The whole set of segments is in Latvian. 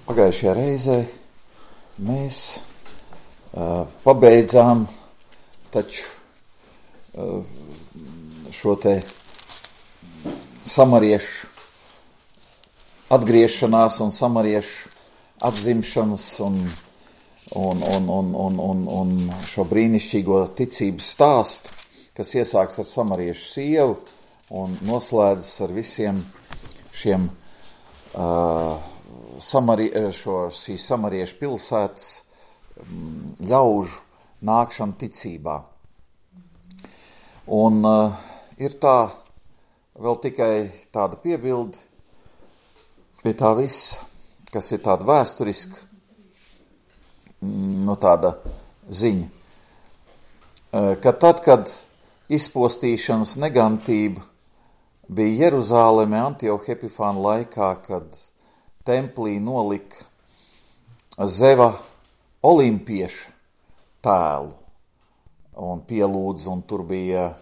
Pagājušajā reizē mēs pabeidzām taču šo te samariešu atgriešanās un samariešu atzimšanas un šo brīnišķīgo ticības stāstu, kas iesāks ar samariešu sievu un noslēdzas ar visiem šiem šīs samariešu pilsētas ļaužu nākšanu ticībā. Un ir tā vēl tikai tāda piebilde pie tā viss, kas ir tāda vēsturiska, tāda ziņa, ka tad, kad izpostīšanas negantība bija Jeruzāleme Antioha Epifāna laikā, kad templī nolika Zeva olimpieša tēlu un pielūdza, un tur bija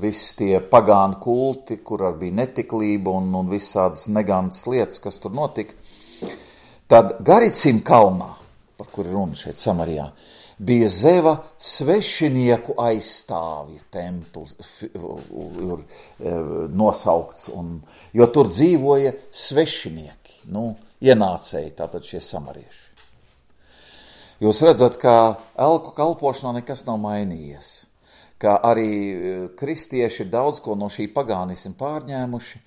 visi tie pagānu kulti, kur arī bija netiklība un visādas negantas lietas, kas tur notika. Tad Garicim kalnā, par kuru runa šeit Samarijā, bija Zeva svešinieku aizstāvja templis nosaukts, jo tur dzīvoja svešinieki, ienācēji, tātad šie samarieši. Jūs redzat, ka elku kalpošanā nekas nav mainījies, ka arī kristieši daudz ko no šī pagānisma pārņēmuši,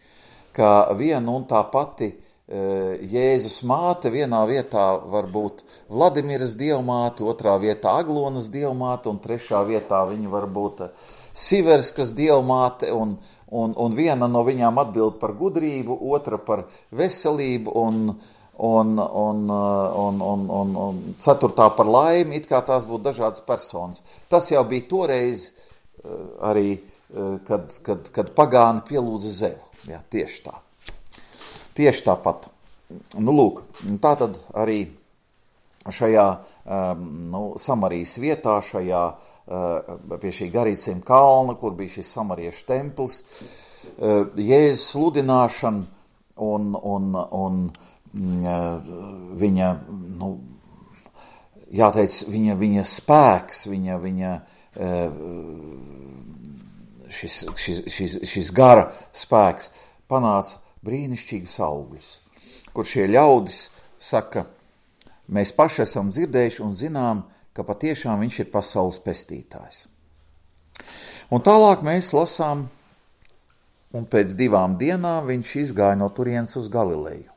ka viena un tā pati Jēzus māte vienā vietā var būt Vladimiras dievmāte, otrā vietā Aglonas dievmāte, un trešā vietā viņa var būt Siverskas dievmāte, un viena no viņām atbild par gudrību, otra par veselību, un ceturtā par laimi, it kā tās būtu dažādas personas. Tas jau bija toreiz arī, kad pagāni pielūdza Zevu. Jā, tieši tā. Tieši tāpat. Lūk, tā tad arī šajā Samarijas vietā, pie šī Garicim kalna, kur bija šis samariešu templis, Jēzus sludināšana un viņa, jāteic, viņa spēks, šis gara spēks panāca brīnišķīgus augļus, kur šie ļaudis saka, mēs paši esam dzirdējuši un zinām, ka patiešām viņš ir pasaules pestītājs. Un tālāk mēs lasām, un pēc 2 dienām viņš izgāja no turienes uz Galileju.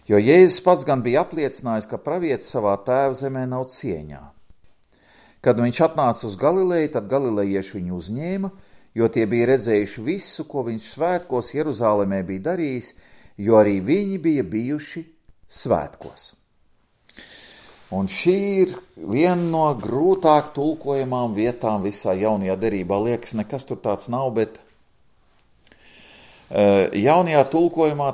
Jo Jēzus pats gan bija apliecinājis, ka pravietis savā tēva zemē nav cieņā. Kad viņš atnāca uz Galileju, tad galilejieši viņu uzņēma, jo tie bija redzējuši visu, ko viņš svētkos Jeruzālēmē bija darījis, jo arī viņi bija bijuši svētkos. Un šī ir viena no grūtāk tulkojamām vietām visā jaunajā derībā. Liekas, nekas tur tāds nav, bet jaunajā tulkojumā,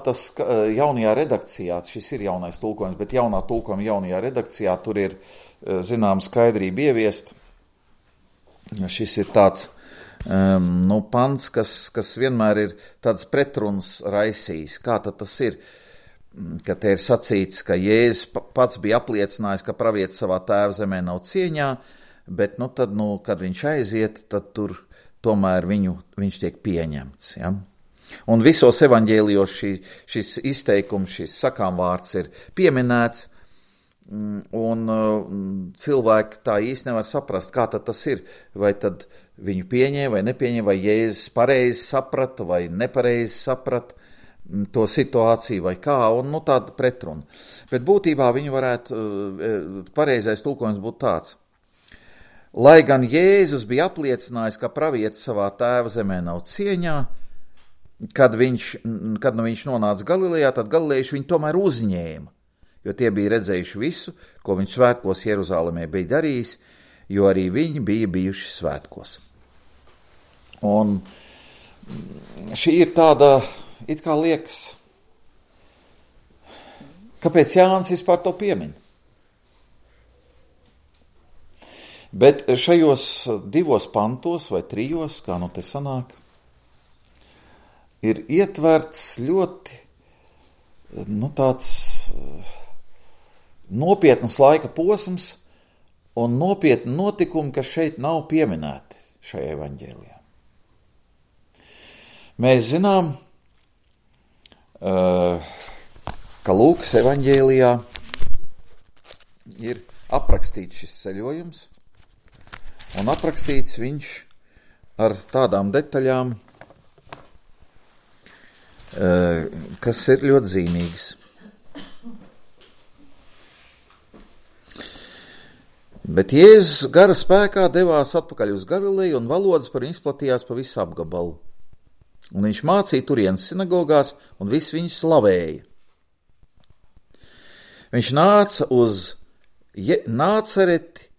jaunajā redakcijā, šis ir jaunais tulkojums, bet jaunā tulkojuma jaunajā redakcijā tur ir, skaidrība ieviest. Šis ir tāds pants, kas vienmēr ir tāds pretruns raisījis. Kā tad tas ir, ka te ir sacīts, ka Jēzus pats bija apliecinājis, ka pravietis savā tēva zemē nav cieņā, bet tad, kad viņš aiziet, tad tur tomēr viņš tiek pieņemts. Ja? Un visos evaņģēlijos šis izteikums, šis sakāmvārds ir pieminēts, un cilvēki tā īsti nevar saprast, kā tad tas ir, vai tad viņu pieņēma vai nepieņēma, vai Jēzus pareizi saprata vai nepareizi saprata to situāciju vai kā, un tāda pretruna. Bet būtībā viņi varētu, pareizais tulkojums būtu tāds. Lai gan Jēzus bija apliecinājis, ka pravietis savā tēva zemē nav cieņā, kad viņš nonāca Galilejā, tad galilejieši viņu tomēr uzņēma, jo tie bija redzējuši visu, ko viņš svētkos Jeruzālēmē bija darījis, jo arī viņi bija bijuši svētkos. Un šī ir tāda, it kā liekas, kāpēc Jānis vispār to piemin? Bet šajos 2 pantos vai 3, kā te sanāk, ir ietverts ļoti, tāds nopietnas laika posms un nopietni notikumi, kas šeit nav pieminēti šajā evaņģēlijā. Mēs zinām, ka Lūkas evaņģēlijā ir aprakstīts šis ceļojums, un aprakstīts viņš ar tādām detaļām, kas ir ļoti zīmīgas. Bet Jēzus gara spēkā devās atpakaļ uz Galileju, un valodas par viņu izplatījās pa visu apgabalu. Un viņš mācīja turienes sinagogās, un visi viņu slavēja. Viņš nāca uz Nācereti,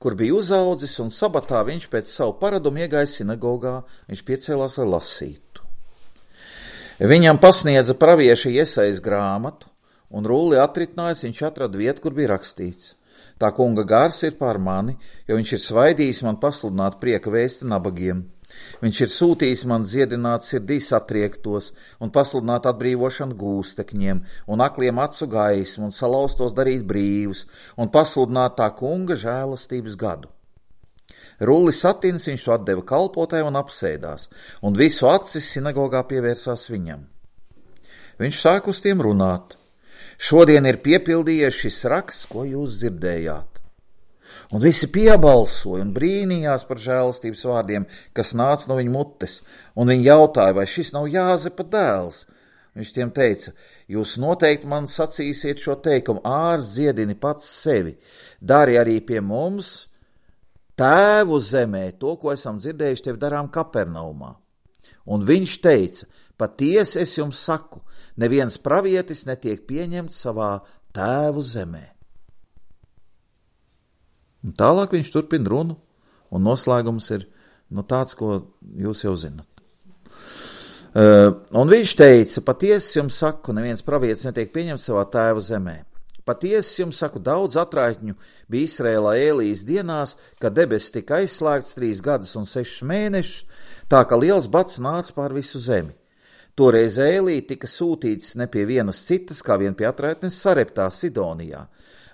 kur bija uzaudzis, un sabatā viņš pēc savu paradumu iegāja sinagogā, viņš piecēlās, lai lasītu. Viņam pasniedza pravieša Jesajas grāmatu, un rulli atritinājis, viņš atrada vietu, kur bija rakstīts: Tā kunga gars ir pār mani, jo viņš ir svaidījis man pasludināt prieka vēsti nabagiem. Viņš ir sūtījis man dziedināt sirdī satriektos un pasludināt atbrīvošanu gūstekņiem un akliem acu gaismu un salauztos darīt brīvus un pasludināt tā kunga žēlastības gadu. Rulli satins viņš to atdeva kalpotāju un apsēdās, un visu acis sinagogā pievērsās viņam. Viņš sāk uz tiem runāt: Šodien ir piepildījies šis raksts, ko jūs dzirdējāt. Un visi piebalsoja un brīnījās par žēlastības vārdiem, kas nāca no viņa mutes, un viņi jautāja, vai šis nav Jāzepa dēls. Viņš tiem teica: Jūs noteikti man sacīsiet šo teikumu: Ārs dziedini pats sevi, dari arī pie mums, Tēvu zemē, to, ko esam dzirdējuši tev darām Kapernaumā. Un viņš teica: Patiesi es jums saku, neviens pravietis netiek pieņemts savā Tēvu zemē. Un tālāk viņš turpina runu, un noslēgums ir tāds, ko jūs jau zinat. Un viņš teica: Patiesi jums saku, neviens pravietis netiek pieņemts savā Tēva zemē. Patiesi jums saku, daudz atraitņu bija Izrēlā Ēlijas dienās, kad debesis tika aizslēgts 3 gadus un 6 mēnešus, tā ka liels bats nāca pār visu zemi. Toreiz Ēlija tika sūtīts ne pie vienas citas, kā vien pie atraitnes Sareptā, Sidonijā.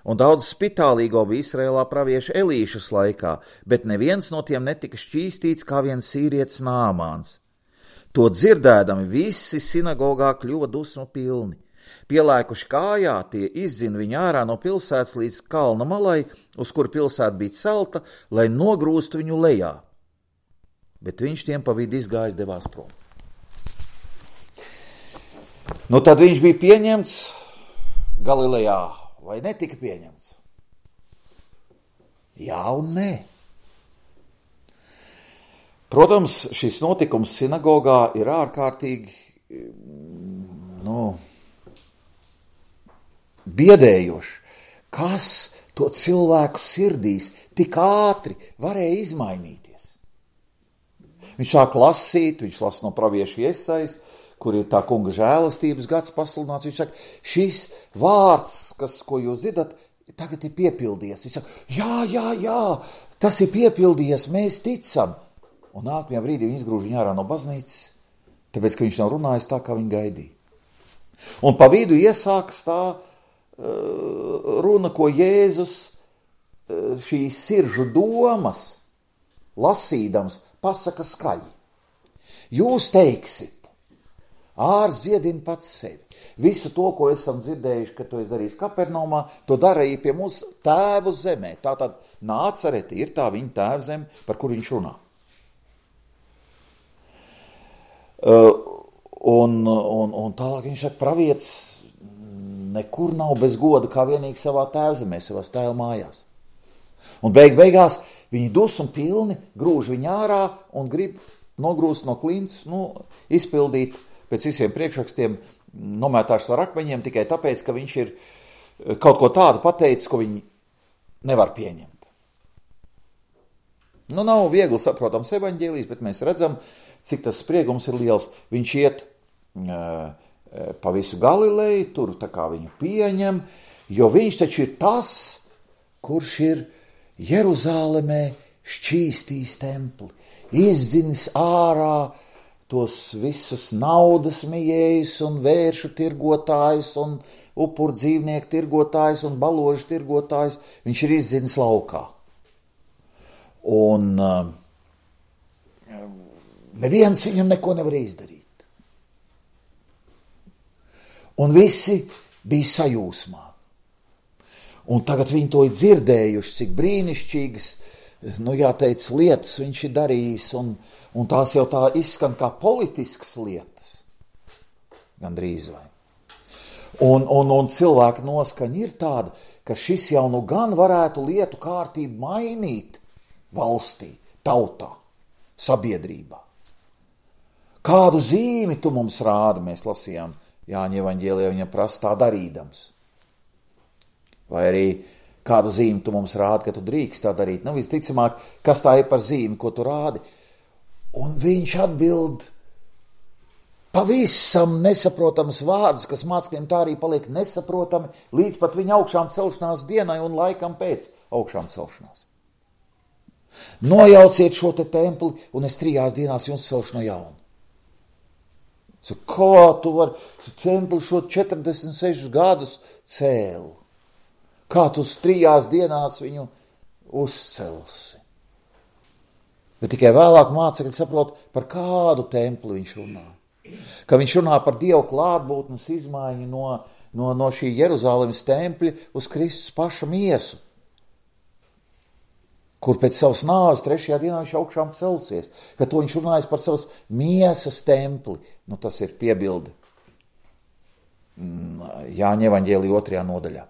Un daudz spitālīgo bija Izrēlā pravieša Elīšas laikā, bet neviens no tiem netika šķīstīts kā viens sīrietis Nāmāns. To dzirdēdami visi sinagogā kļuva dusmu pilni. Pielēkuši kājā, tie izdzina viņu ārā no pilsētas līdz kalna malai, uz kuru pilsēta bija celta, lai nogrūstu viņu lejā. Bet viņš tiem pa vidu izgājis, devās prom. Tad viņš bija pieņemts Galilejā, vai netika pieņemts? Jā un nē. Protams, šis notikums sinagogā ir ārkārtīgi, biedējoši. Kas to cilvēku sirdīs tik ātri varēja izmainīties? Viņš sāk lasīt, viņš lasa no pravieša Jesajas, kur ir tā kunga žēlastības gads pasludināts. Viņš saka, šis vārds, ko jūs zināt, tagad ir piepildījies. Viņš saka, jā, tas ir piepildījies, mēs ticam. Un nākamajā brīdī viņi izgrūž viņu ārā no baznīcas, tāpēc, ka viņš nav runājis tā, kā viņi gaidīja. Un pa vidu iesākas tā runa, ko Jēzus šīs siržu domas lasīdams pasaka skaļi. Jūs teiksiet, ārs dziedina pats sevi. Visu to, ko esam dzirdējuši, ka to es darīju Kapernaumā, to darīja pie mums Tēvu zemē. Tātad Nācereti ir tā viņa Tēva zeme, par kur viņš runā. Un tālāk viņš saka, pravietis nekur nav bez goda, kā vienīgi savā tēvzemē, savās tēva mājās. Un beigās viņi dusmu pilni grūž viņu ārā un grib nogrūst no klints, izpildīt pēc visiem priekšrakstiem, nomētāšs ar akmeņiem tikai tāpēc, ka viņš ir kaut ko tādu pateicis, ko viņi nevar pieņemt. Nav viegli saprotams evaņģēlijs, bet mēs redzam, cik tas spriegums ir liels. Viņš iet pa visu Galileju, tur tā kā viņu pieņem, jo viņš taču ir tas, kurš ir Jeruzālemē šķīstījis templi, izdzinis ārā tos visus naudas mijējus un vēršu tirgotājus un upuru dzīvnieku tirgotājs un baložu tirgotājs, viņš ir izdzinis laukā. Un neviens viņam neko nevar izdarīt. Un visi bija sajūsmā. Un tagad viņi to ir dzirdējuši, cik brīnišķīgas, jāteic, lietas viņš ir darījis, un tās jau tā izskan kā politiskas lietas. Gandrīz vai. Un cilvēka noskaņa ir tāda, ka šis jau nu gan varētu lietu kārtību mainīt valstī, tautā, sabiedrībā. Kādu zīmi tu mums rādi, mēs lasījām Jāņa evaņģēlijā, viņa prasa tā darīdams. Vai arī kādu zīmi tu mums rādi, ka tu drīkst tā darīt. Visticamāk, kas tā ir par zīmi, ko tu rādi? Un viņš atbild pavisam nesaprotams vārdus, kas mācekļiem tā arī paliek nesaprotami, līdz pat viņa augšām celšanās dienai un laikam pēc augšām celšanās. Nojauciet šo te templi, un es 3 dienās jums celšu no jauna. Kā tu vari templi šo 46 gadus cēlu? Kā tu 3 dienās viņu uzcelsi? Bet tikai vēlāk mācekļi saprot, par kādu templi viņš runā. Ka viņš runā par Dievu klātbūtnes izmaiņu no šī Jeruzalemes tempļa uz Kristus paša miesu, kur pēc savas nāves 3. dienā viņš augšām celsies, ka to viņš runājas par savas miesas templi. Tas ir piebilde Jāņa evaņģēlijā 2. nodaļā.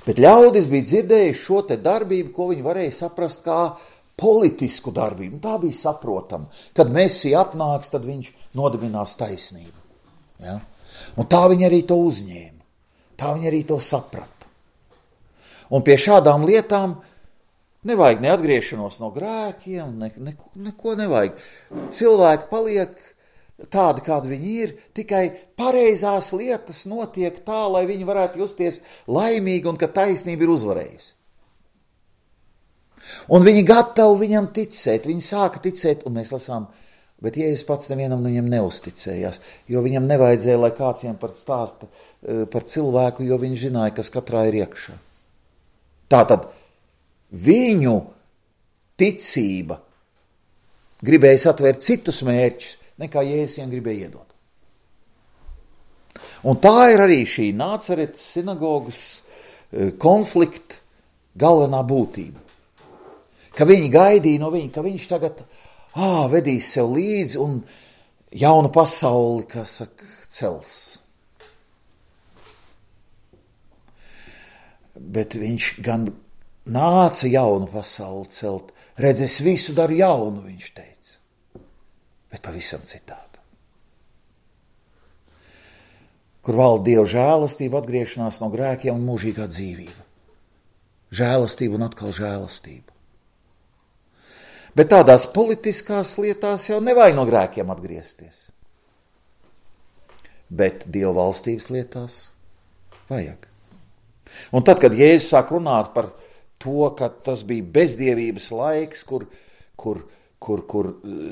Bet ļaudis bija dzirdējuši šo te darbību, ko viņi varēja saprast kā politisku darbību. Tā bija saprotama. Kad Mesija atnāks, tad viņš nodibinās taisnību. Ja? Un tā viņi arī to uzņēma. Tā viņi arī to saprata. Un pie šādām lietām nevajag ne atgriešanos no grēkiem, neko nevajag. Cilvēki paliek tādi, kādi viņi ir, tikai pareizās lietas notiek tā, lai viņi varētu justies laimīgi un ka taisnība ir uzvarējusi. Un viņi gatavi viņam ticēt, viņi sāka ticēt, un mēs lasām, bet Jēzus pats nevienam no viņiem neuzticējās, jo viņam nevajadzēja, lai kāds viņam stāsta par cilvēku, jo viņš zināja, kas katrā ir iekšā. Tātad viņu ticība gribēja satvērt citus mērķus, nekā Jēzus viņam gribēja iedot. Un tā ir arī šī Nācaretes sinagogas konflikta galvenā būtība. Ka viņi gaidīja no viņa, ka viņš tagad vedīs sev līdzi un jaunu pasauli, kas cels. Bet viņš gan nāca jaunu pasauli celt. Redz, es visu daru jaunu, viņš teica. Bet pavisam citādi. Kur valda Dieva žēlastība, atgriešanās no grēkiem un mūžīgā dzīvība. Žēlastība un atkal žēlastība. Bet tādās politiskās lietās jau nevajag no grēkiem atgriezties. Bet Dieva valstības lietās vajag. Un tad, kad Jēzus sāk runāt par to, ka tas bija bezdievības laiks, kur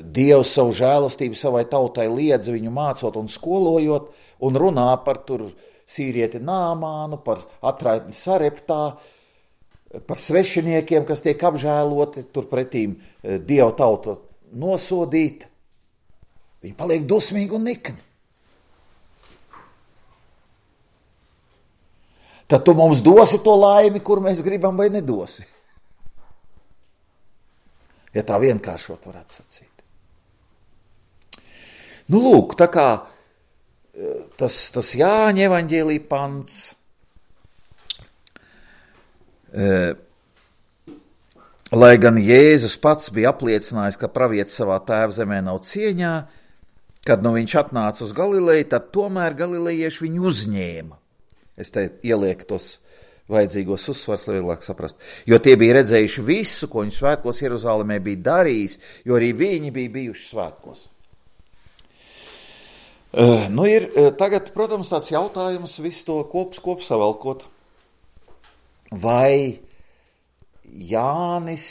Dievs savu žēlastību savai tautai liedza viņu mācot un skolojot, un runā par tur sīrieti Nāmānu, par atraitni Sareptā, par svešiniekiem, kas tiek apžēloti, turpretīm Dieva tauta nosodīta. Viņi paliek dusmīgi un nikni. Tad tu mums dosi to laimi, kur mēs gribam vai nedosi. Ja tā vienkāršot varētu sacīt. Lūk, tā kā tas Jāņa evaņģēlija pants, lai gan Jēzus pats bija apliecinājis, ka pravietis savā tēva zemē nav cieņā, kad viņš atnāca uz Galileju, tad tomēr galilejieši viņu uzņēma. Es te ielieku tos vajadzīgos uzsvars, lai vieglāk saprast. Jo tie bija redzējuši visu, ko viņš svētkos Jeruzalemē bija darījis, jo arī viņi bija bijuši svētkos. Ir tagad, protams, tāds jautājums visu to kopsavelkot. Vai Jānis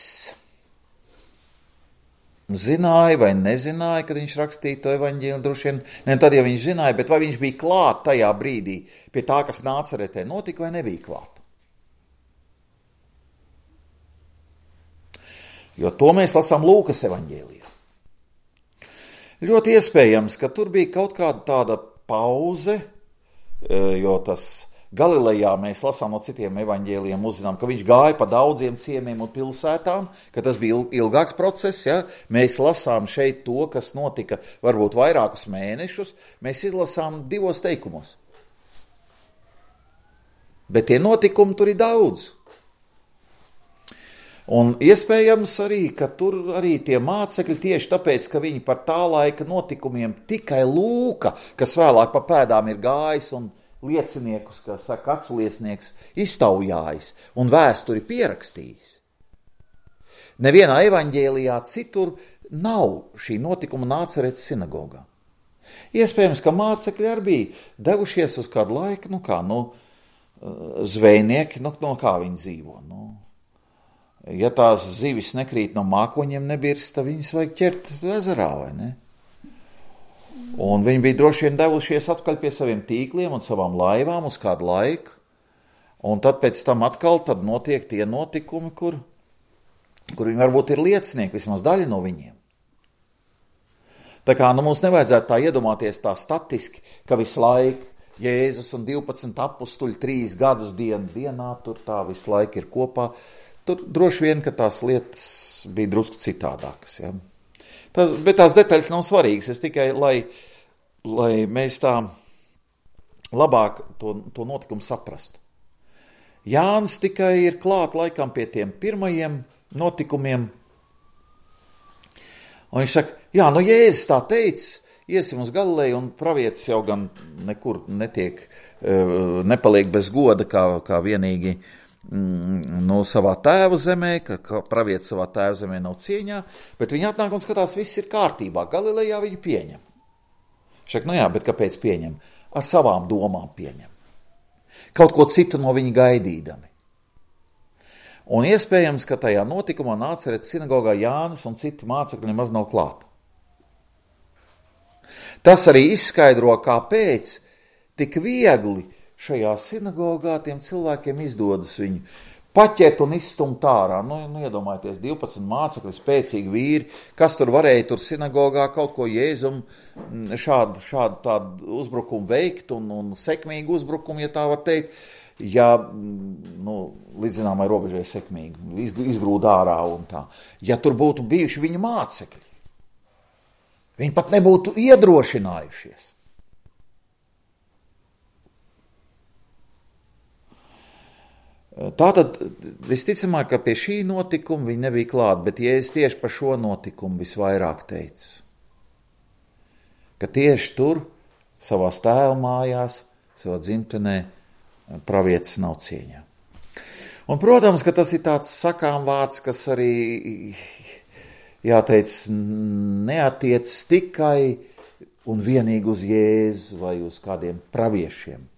zināja vai nezināja, kad viņš rakstīja to evaņģēliju, droši vien, ne tad, ja viņš zināja, bet vai viņš bija klāt tajā brīdī pie tā, kas Nācaretē notika, vai nebija klāt. Jo to mēs lasām Lūkas evaņģēlijā. Ļoti iespējams, ka tur bija kaut kāda tāda pauze, jo tas Galilejā mēs lasām no citiem evaņģēlijiem, uzzinām, ka viņš gāja pa daudziem ciemiem un pilsētām, ka tas bija ilgāks process, ja? Mēs lasām šeit to, kas notika varbūt vairākus mēnešus, mēs izlasām 2 teikumos. Bet tie notikumi tur ir daudz. Un iespējams arī, ka tur arī tie mācekļi tieši tāpēc, ka viņi par tā laika notikumiem tikai Lūka, kas vēlāk pa pēdām ir gājis un lieciniekus, kā saka aculiecinieks, iztaujājis un vēsturi pierakstījis. Nevienā evaņģēlijā citur nav šī notikuma Nācaretes sinagogā. Iespējams, ka mācekļi arī bija devušies uz kādu laiku, zvejnieki, kā viņi dzīvo. Ja tās zivis nekrīt no mākoņiem nebirst, tad viņas vajag ķert ezerā, vai ne? Un viņi bija droši vien devušies atkaļ pie saviem tīkliem un savām laivām uz kādu laiku, un tad pēc tam atkal tad notiek tie notikumi, kur viņi varbūt ir liecinieki, vismaz daļa no viņiem. Tā kā mums nevajadzētu tā iedomāties tā statiski, ka visu laiku Jēzus un 12 apustuļi 3 gadus dienā tur tā visu laiku ir kopā. Tur droši vien, ka tās lietas bija drusku citādākas, ja. Bet tās detaļas nav svarīgas, es tikai, lai mēs tā labāk to notikumu saprastu. Jānis tikai ir klāt laikam pie tiem pirmajiem notikumiem, un viņš saka, Jēzus tā teica, iesim uz Galileju, un pravietis jau gan nekur nepaliek bez goda, kā vienīgi savā tēva zemē, ka pravietis savā tēva zemē nav cieņā, bet viņi atnāk un skatās, viss ir kārtībā. Galilejā viņi pieņem. Šak, bet kāpēc pieņem? Ar savām domām pieņem. Kaut ko citu no viņa gaidīdami. Un iespējams, ka tajā notikumā Nācaretes sinagogā Jānis un citi mācekļi nemaz nav klāt. Tas arī izskaidro, kāpēc tik viegli šajā sinagogā tiem cilvēkiem izdodas viņu paķert un izstumt ārā. Iedomājieties, 12 mācekļi, spēcīgi vīri, kas tur varēja tur sinagogā kaut ko Jēzum šādu tādu uzbrukumu veikt un sekmīgu uzbrukumu, ja tā var teikt, ja, līdz zināmai robežai sekmīgi, izgrūd ārā un tā. Ja tur būtu bijuši viņa mācekļi, viņi pat nebūtu iedrošinājušies. Tātad visticamāk, ka pie šī notikuma viņi nebija klāt, bet Jēzus tieši par šo notikumu visvairāk teica. Ka tieši tur, savās tēva mājās, savā dzimtenē, pravietis nav cieņā. Un, protams, ka tas ir tāds sakām vārds, kas arī, jāteic, neatiec tikai un vienīgi uz Jēzu vai uz kādiem praviešiem.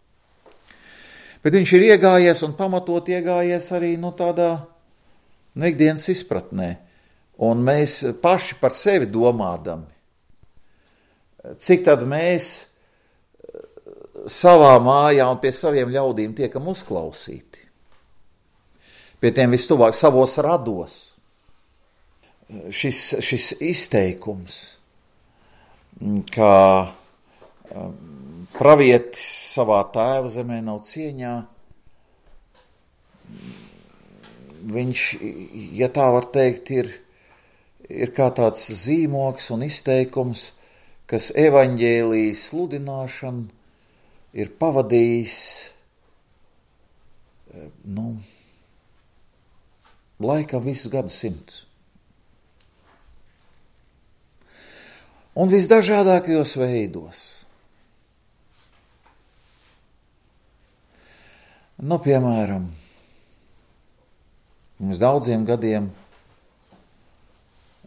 Bet viņš ir iegājies un pamatot iegājies arī tādā ikdienas izpratnē. Un mēs paši par sevi domādami, cik tad mēs savā mājā un pie saviem ļaudīm tiekam uzklausīti. Pie tiem vistuvāk savos rados. Šis izteikums, kā pravietis savā tēva zemē nav cieņā, viņš, ja tā var teikt, ir kā tāds zīmogs un izteikums, kas evaņģēlijas sludināšanu ir pavadījis, laikam visus gadsimtus. Un visdažādākajos veidos. Piemēram, pirms daudziem gadiem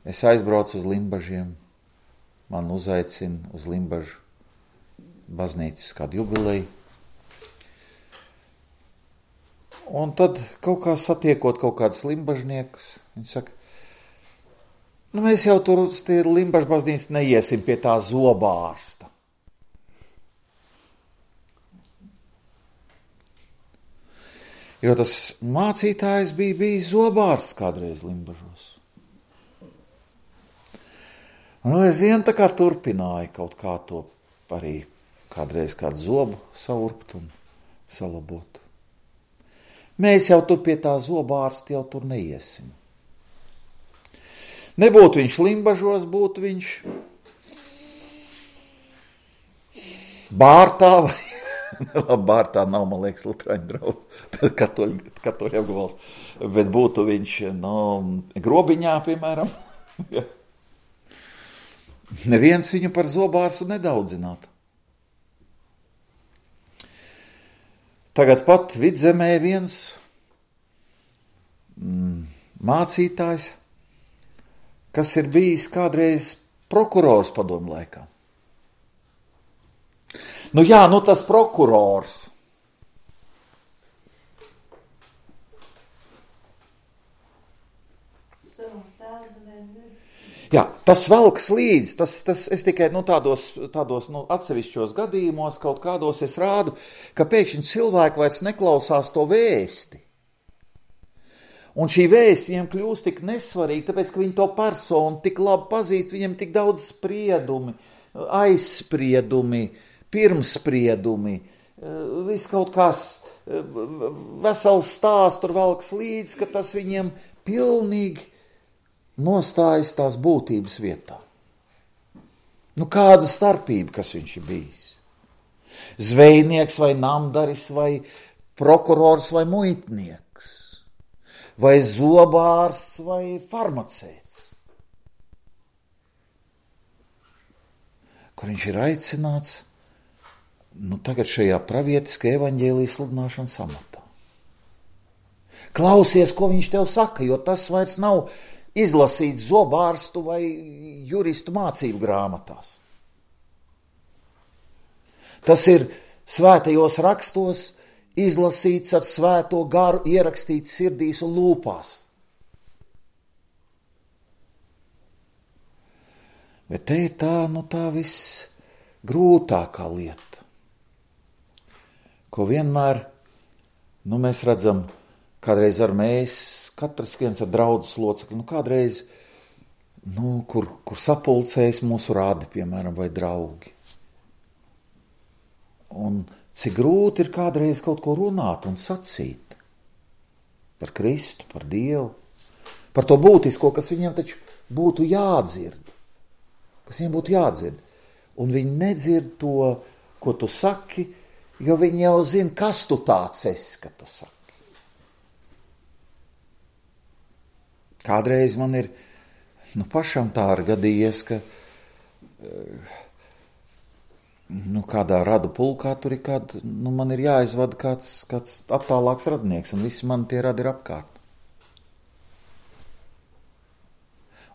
es aizbraucu uz Limbažiem, man uzaicina uz Limbažu baznīcas kādu jubileju. Un tad kaut kā satiekot kaut kādus limbažniekus, viņi saka, Nu, mēs jau tur uz tie Limbažu baznīcas neiesim pie tā zobārsta. Jo tas mācītājs bija bijis zobārsts kādreiz Limbažos. Un es vien tā kā turpināju kaut kā to arī kādreiz kādu zobu saurpt un salabot. Mēs jau tur pie tā zobārsta jau tur neiesim. Nebūtu viņš Limbažos, būtu viņš Bārtā vai Bārtā nav, man liekas, lutraņu draudz, katoļu apgabals, bet būtu viņš, Grobiņā, piemēram. Ja. Neviens viņu par zobārstu nedaudzinātu. Tagad pat Vidzemē viens mācītājs, kas ir bijis kādreiz prokurors padomu laikā. Nu jā, tas prokurors. Jā, tas velks līdz, es tikai tādos atsevišķos gadījumos kaut kādos es rādu, ka pēkšņi cilvēki vairs neklausās to vēsti. Un šī vēsts viņiem kļūst tik nesvarīga, tāpēc, ka viņi to personu tik labi pazīst, viņiem tik daudz spriedumi, aizspriedumi, pirmspriedumi, viss kaut kas vesels stāsts tur velks līdz, ka tas viņiem pilnīgi nostājas tās būtības vietā. Kāda starpība, kas viņš ir bijis? Zvejnieks vai namdaris vai prokurors vai muitnieks? Vai zobārsts vai farmaceits? Kur viņš ir aicināts tagad šajā pravietiskajā evaņģēlijas sludināšanas amatā. Klausies, ko viņš tev saka, jo tas vairs nav izlasīts zobārstu vai juristu mācību grāmatās. Tas ir svētajos rakstos izlasīts ar svēto garu, ierakstīts sirdīs un lūpās. Bet te ir tā viss grūtākā lieta, ko vienmēr, mēs redzam, kādreiz ar mēs, katrs viens ar draudzes locekli, kādreiz, kur sapulcējas mūsu rādi, piemēram, vai draugi. Un cik grūti ir kādreiz kaut ko runāt un sacīt par Kristu, par Dievu, par to būtisko, kas viņiem taču būtu jādzird. Kas viņiem būtu jādzird. Un viņi nedzird to, ko tu saki, jo viņi jau zina, kas tu tāds esi, ka tu saki. Kādreiz man ir, pašam tā ir gadījies, ka kādā radu pulkā tur ir man ir jāizvada kāds attālāks radnieks, un visi man tie radi ir apkārt.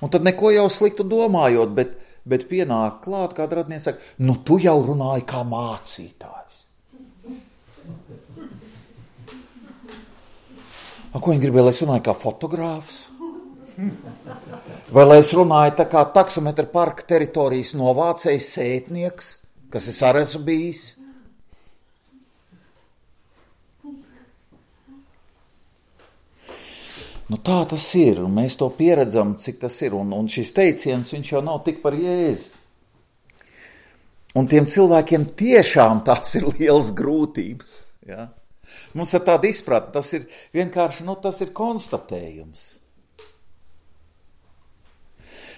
Un tad neko jau sliktu domājot, bet pienāk klāt, kāda radnieks saka, tu jau runāji kā mācītājs. Ko viņi gribēja, lai es runāju kā fotogrāfs? Vai lai es runāju tā kā taksometra parka teritorijas novācējs sētnieks, kas es arī esmu bijis? Tā tas ir, un mēs to pieredzam, cik tas ir, un šis teiciens, viņš jau nav tik par Jēzu. Un tiem cilvēkiem tiešām tās ir lielas grūtības, ja? Mums ir tāda izpratne, tas ir vienkārši, tas ir konstatējums.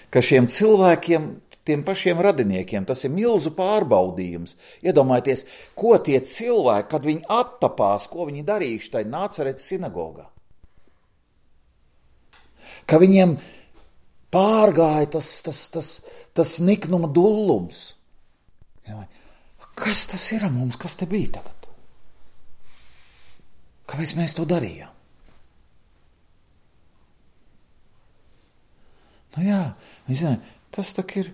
Ka šiem cilvēkiem, tiem pašiem radiniekiem, tas ir milzu pārbaudījums. Iedomājieties, ko tie cilvēki, kad viņi attapās, ko viņi darījuši tai Nācaretes sinagogā. Ka viņiem pārgāja tas niknuma dullums. Kas tas ir mums, kas te bija tagad? Kāpēc mēs to darījām? Jā, viņi zina, tas tak ir,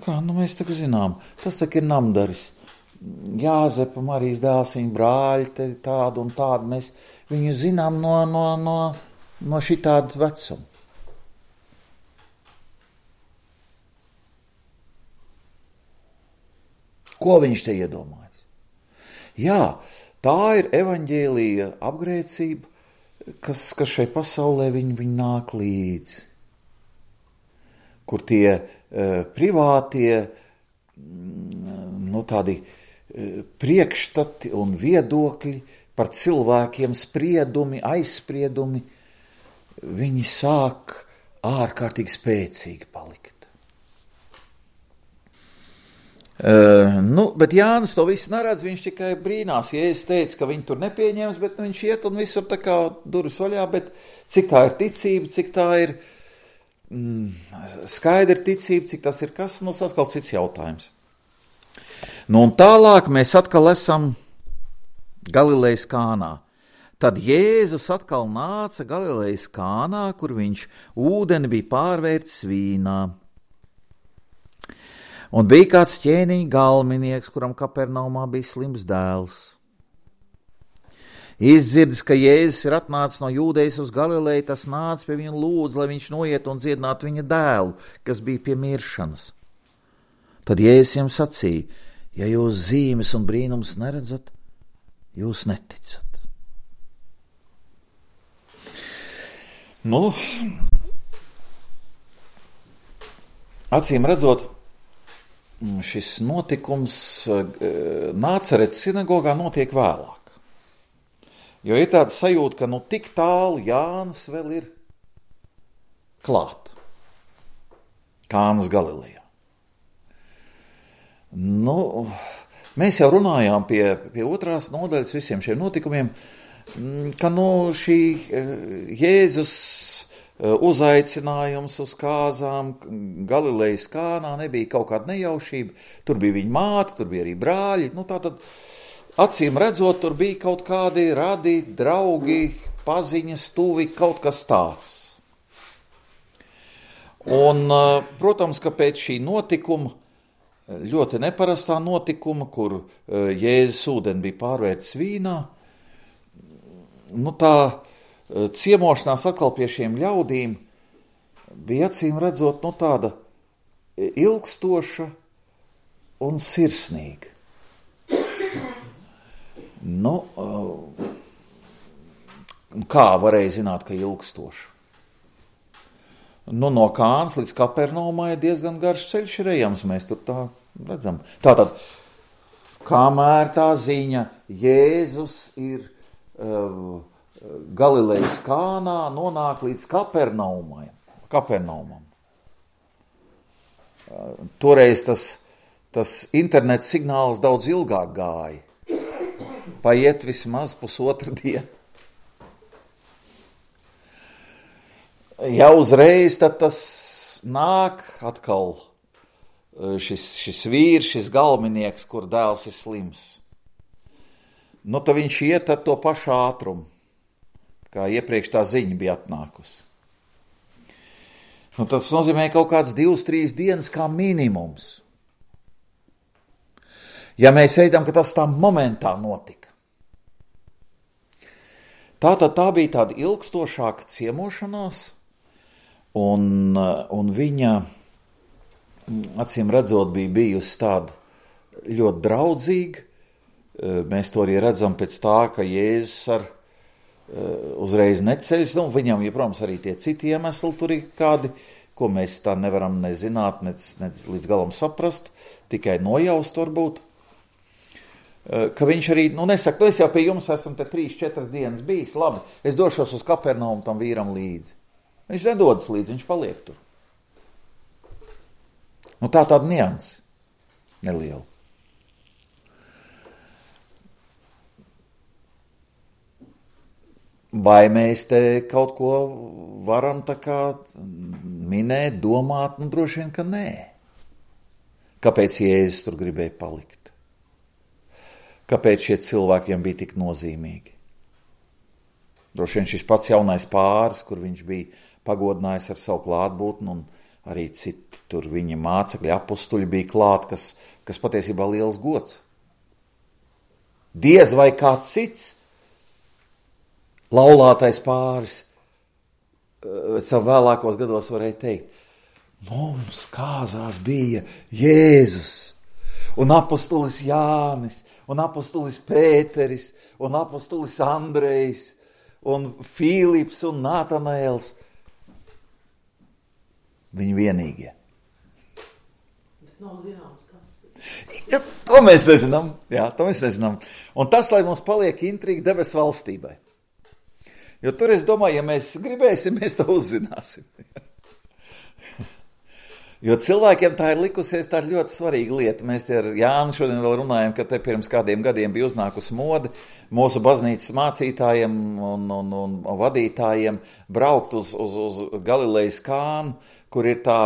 mēs tak zinām, tas tak ir namdaris. Jāzepa, Marijas dēls, viņa brāļi, tādu un tādu, mēs viņu zinām no šitādu vecumu. Ko viņš te iedomājas? Jā, tā ir evaņģēlija apgrēcība, kas šai pasaulē viņi nāk līdzi. Kur tie privātie, tādi priekšstati un viedokļi par cilvēkiem, spriedumi, aizspriedumi, viņi sāk ārkārtīgi spēcīgi palikt. Bet Jānis to visu neredz, viņš tikai brīnās. Jēzus teica, ka viņi tur nepieņems, bet viņš iet un visur tā kā durvis vaļā, bet cik tā ir ticība, cik tā ir skaidra ticība, cik tas ir kas, tas atkal cits jautājums. Un tālāk mēs atkal esam Galilejas Kānā. Tad Jēzus atkal nāca Galilejas Kānā, kur viņš ūdeni bija pārvērtis vīnā. Un bija kāds ķēniņa galminieks, kuram Kapernaumā bija slims dēls. Izdzirdis, ka Jēzus ir atnācis no Jūdejas uz Galileju, tas nāca pie viņa lūdz, lai viņš noiet un dziedinātu viņa dēlu, kas bija pie miršanas. Tad Jēzus viņam sacīja, ja jūs zīmes un brīnums neredzat, jūs neticat. Acīm redzot, šis notikums Nāceretes sinagogā notiek vēlāk. Jo ir tāda sajūta, ka tik tālu Jānis vēl ir klāt. Kānas Galilejā. Mēs jau runājām pie otrās nodaļas visiem šiem notikumiem, ka šī Jēzus uzaicinājums uz kāzām Galilejas Kānā nebija kaut kāda nejaušība. Tur bija viņa māte, tur bija arī brāļi. Tātad, acīm redzot, tur bija kaut kādi radi, draugi, paziņas, tuvi, kaut kas tāds. Un, protams, ka pēc šī notikuma, ļoti neparastā notikuma, kur Jēzus ūdeni bija pārvērtis vīnā, tā ciemošanās atkal pie šiem ļaudīm bija acīm redzot, tāda ilgstoša un sirsnīga. Kā varēja zināt, ka ilgstoša? No Kānas līdz Kapernaumai diezgan garš ceļš ir ejams, mēs tur tā redzam. Tātad, kamēr tā ziņa Jēzus ir Galilejas Kānā, nonāk līdz Kapernaumam. Toreiz tas interneta signāls daudz ilgāk gāja. Paiet vismaz pusotra diena. Ja uzreiz, tad tas nāk atkal šis vīrs, šis galminieks, kur dēls ir slims. Tad viņš iet ar to pašu ātrumu, kā iepriekš tā ziņa bija atnākusi. Tas nozīmē kaut kāds 2-3 dienas kā minimums. Ja mēs ejam, ka tas tā momentā notika. Tātad tā bija tāda ilgstošāka ciemošanās, un viņa, acīm redzot, bija bijusi tāda ļoti draudzīga. Mēs to arī redzam pēc tā, ka Jēzus uzreiz neceļas, viņam, protams, arī tie citi iemesli tur ir kādi, ko mēs tā nevaram nezināt, ne līdz galam saprast, tikai nojaust varbūt. Ka viņš arī, nesaka, es jau pie jums esmu te 3-4 dienas bijis, labi, es došos uz Kapernaumu tam vīram līdzi. Viņš nedodas līdzi, viņš paliek tur. Tāda nianse neliela. Vai mēs te kaut ko varam tā kā minēt, domāt? Droši vien, ka nē. Kāpēc Jēzus tur gribēja palikt? Kāpēc šie cilvēkiem bija tik nozīmīgi? Droši vien šis pats jaunais pāris, kur viņš bija pagodinājis ar savu klātbūtni, un arī citi tur viņa mācekļi, apustuļi bija klāt, kas patiesībā liels gods. Diez vai kāds cits laulātais pāris savu vēlākos gados varēja teikt, mums kāzās bija Jēzus, un apostolis Jānis, un apostolis Pēteris, un apostolis Andrejs, un Fīlips un Nātanaēls. Viņi vienīgie. Nav zināms, kas. Ja, to mēs nezinām. Jā, to mēs nezinām. Un tas, lai mums paliek intriga debesu valstībai. Jo tur, es domāju, ja mēs gribēsim, mēs to uzzināsim. Jo cilvēkiem tā ir likusies, tā ir ļoti svarīga lieta. Mēs te ar Jānu šodien vēl runājam, ka te pirms kādiem gadiem bija uznākusi mode mūsu baznīcas mācītājiem un vadītājiem braukt uz Galilejas Kānu, kur ir tā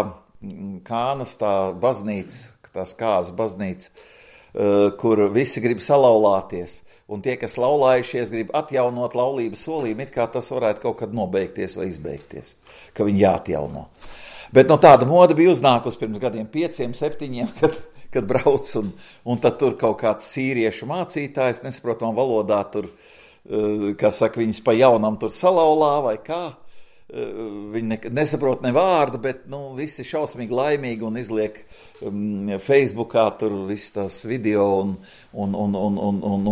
Kānas tā baznīca, tās Kāzas baznīca, kur visi grib salaulāties. Un tie, kas laulājušies, grib atjaunot laulības solījumu, it kā tas varētu kaut kad nobeigties vai izbeigties, ka viņi jāatjauno. Bet no tāda moda bija uznākusi pirms gadiem 5, 7, kad brauc, un tad tur kaut kāds sīriešu mācītājs, nesaprotamā valodā tur, kā saka, viņas pa jaunam tur salaulā vai kā. Viņi nesaprot ne vārdu, bet, visi šausmīgi laimīgi un izliek Facebookā tur viss tās video un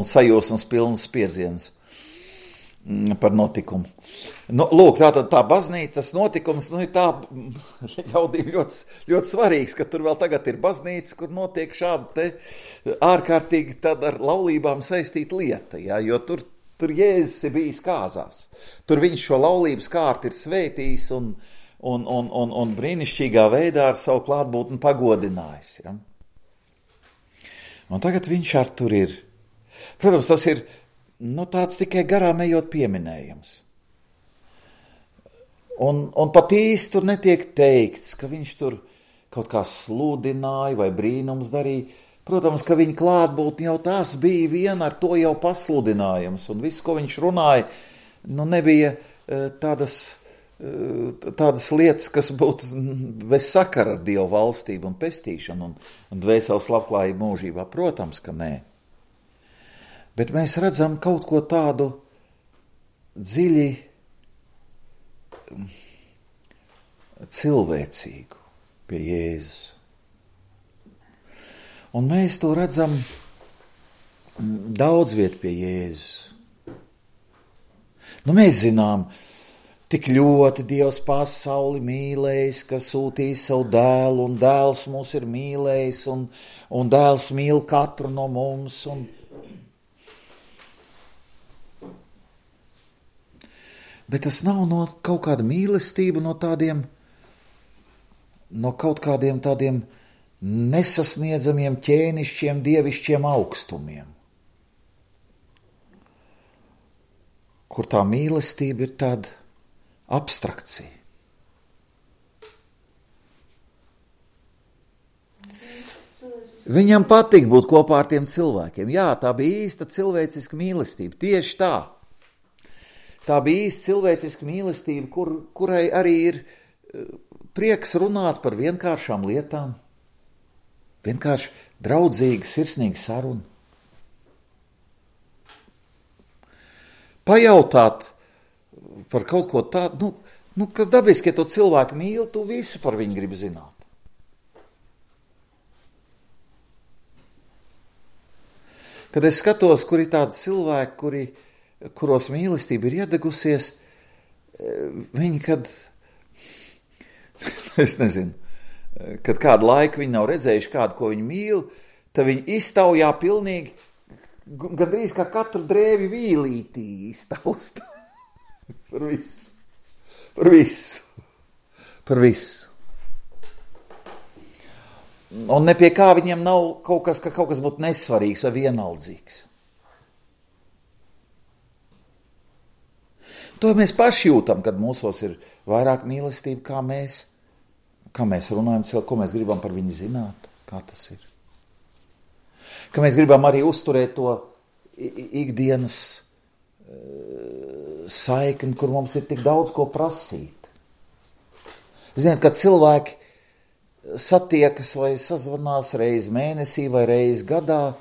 sajūsmas pilnas piedzienas par notikumu. Lūk, tātad tā baznīca, tas notikums, ir tā ļaudīm ļoti, ļoti svarīgs, ka tur vēl tagad ir baznīca, kur notiek šāda te ārkārtīgi tad ar laulībām saistīta lieta, jā, jo tur Jēzus ir bijis kāzās. Tur viņš šo laulības kārtu ir svētījis un brīnišķīgā veidā ar savu klātbūtni pagodinājis, ja. Un tagad viņš ar tur ir. Protams, tas ir tāds tikai garām ejot pieminējums. Un pat īsti tur netiek teikts, ka viņš tur kaut kā sludināja vai brīnums darīja. Protams, ka viņa klātbūtne jau tās bija viena ar to jau pasludinājums, un viss, ko viņš runāja, nebija tādas lietas, kas būtu bez sakara ar Dievu valstību un pestīšanu un dvēseles labklājību mūžībā. Protams, ka nē. Bet mēs redzam kaut ko tādu dziļi cilvēcīgu pie Jēzus. Un mēs to redzam daudz viet pie Jēzus. Mēs zinām, tik ļoti Dievs pasauli mīlējis, ka sūtīs savu dēlu, un dēls mūs ir mīlējis, un dēls mīl katru no mums. Bet tas nav no kaut kāda mīlestība, no kaut kādiem tādiem nesasniedzamiem ķēnišķiem, dievišķiem augstumiem, kur tā mīlestība ir tāda abstrakcija. Viņam patīk būt kopā ar tiem cilvēkiem. Jā, tā bija īsta cilvēciska mīlestība, tieši tā. Tā bija īsta cilvēciska mīlestība, kurai arī ir prieks runāt par vienkāršām lietām. Vienkārši draudzīga, sirsnīga saruna. Pajautāt par kaut ko tādu, kas dabiski, ja tu cilvēku mīli, tu visu par viņu gribi zināt. Kad es skatos, kur ir tādi cilvēki, kuros mīlestība ir iedegusies, viņi, es nezinu, kad kādu laiku viņi nav redzējuši kādu, ko viņi mīl, tad viņi iztaujā pilnīgi, gandrīz kā katru drēvi vīlītī iztausta. Par visu. Un ne pie kā viņiem nav kaut kas, ka kaut kas būtu nesvarīgs vai vienaldzīgs. To mēs paši jūtam, kad mūsos ir vairāk mīlestība, kā mēs runājam, ko mēs gribam par viņu zināt, kā tas ir. Ka mēs gribam arī uzturēt to ikdienas saikni, kur mums ir tik daudz ko prasīt. Ziniet, kad cilvēki satiekas vai sazvanās reizi mēnesī vai reizi gadā,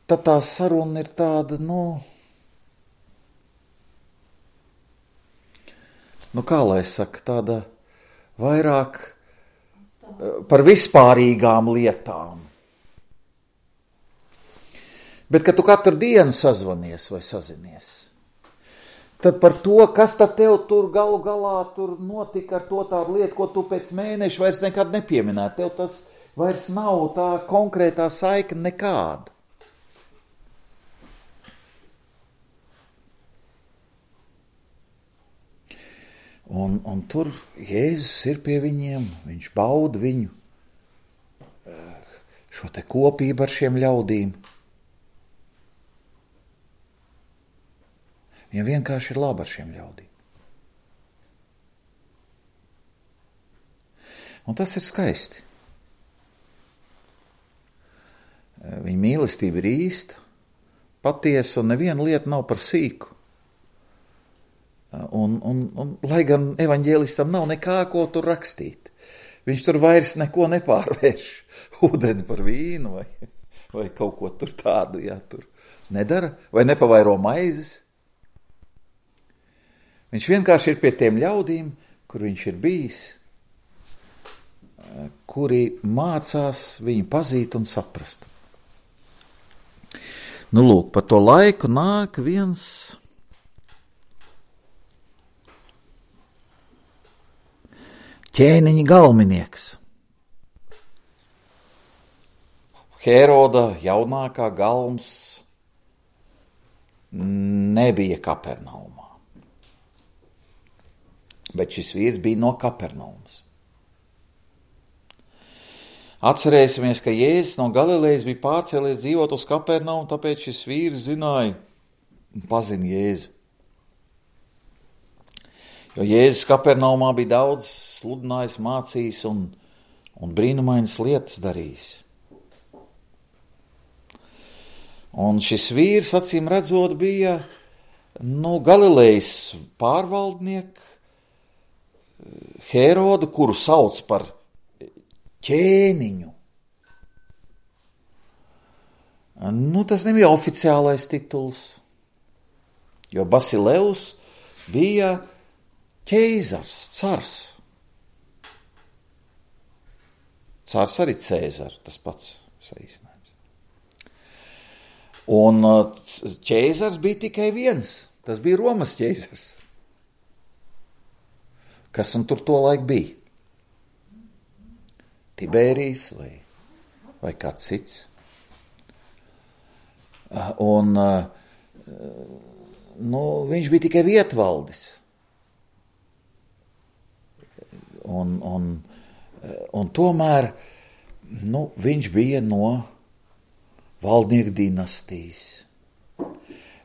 tad tā saruna ir tāda, kā lai es saku, tāda vairāk par vispārīgām lietām. Bet, kad tu katru dienu sazvanies vai sazinies, tad par to, kas tad tev tur galu galā tur notika ar to tādu lietu, ko tu pēc mēneša vairs nekad nepieminētu. Tev tas vairs nav tā konkrētā saikne nekāda. Un tur Jēzus ir pie viņiem, viņš bauda viņu šo te kopību ar šiem ļaudīm. Viņam vienkārši ir labi ar šiem ļaudīm. Un tas ir skaisti. Viņa mīlestība ir īsta, patiesa, un neviena lieta nav par sīku. Un lai gan evaņģēlistam nav nekā, ko tur rakstīt. Viņš tur vairs neko nepārvērš, ūdeni par vīnu vai kaut ko tur tādu, tur nedara, vai nepavairo maizes. Viņš vienkārši ir pie tiem ļaudīm, kur viņš ir bijis, kuri mācās viņu pazīt un saprast. Nu, lūk, pa to laiku nāk viens ķēniņa galminieks. Hēroda jaunākā galms nebija Kapernaumā. Bet šis vīrs bija no Kapernaumas. Atcerēsimies, ka Jēzus no Galilejas bija pārcēlies dzīvot uz Kapernaumu, tāpēc šis vīrs zināja un pazina Jēzu. Jo Jēzus Kapernaumā bija daudz sludinājis, mācījis un brīnumainas lietas darījis. Un šis vīrs, acīm redzot, bija Galilejas pārvaldnieks, Hērodu, kuru sauc par ķēniņu. Tas nebija oficiālais tituls, jo Basileus bija ķeizars, cars. Cars arī Cēzars, tas pats saīsinājums. Un ķeizars bija tikai viens, tas bija Romas ķeizars. Kas un tur to laik bija? Tibērijs vai kāds cits. Un viņš bija tikai vietvaldis. Un tomēr viņš bija no valdnieku dinastijas.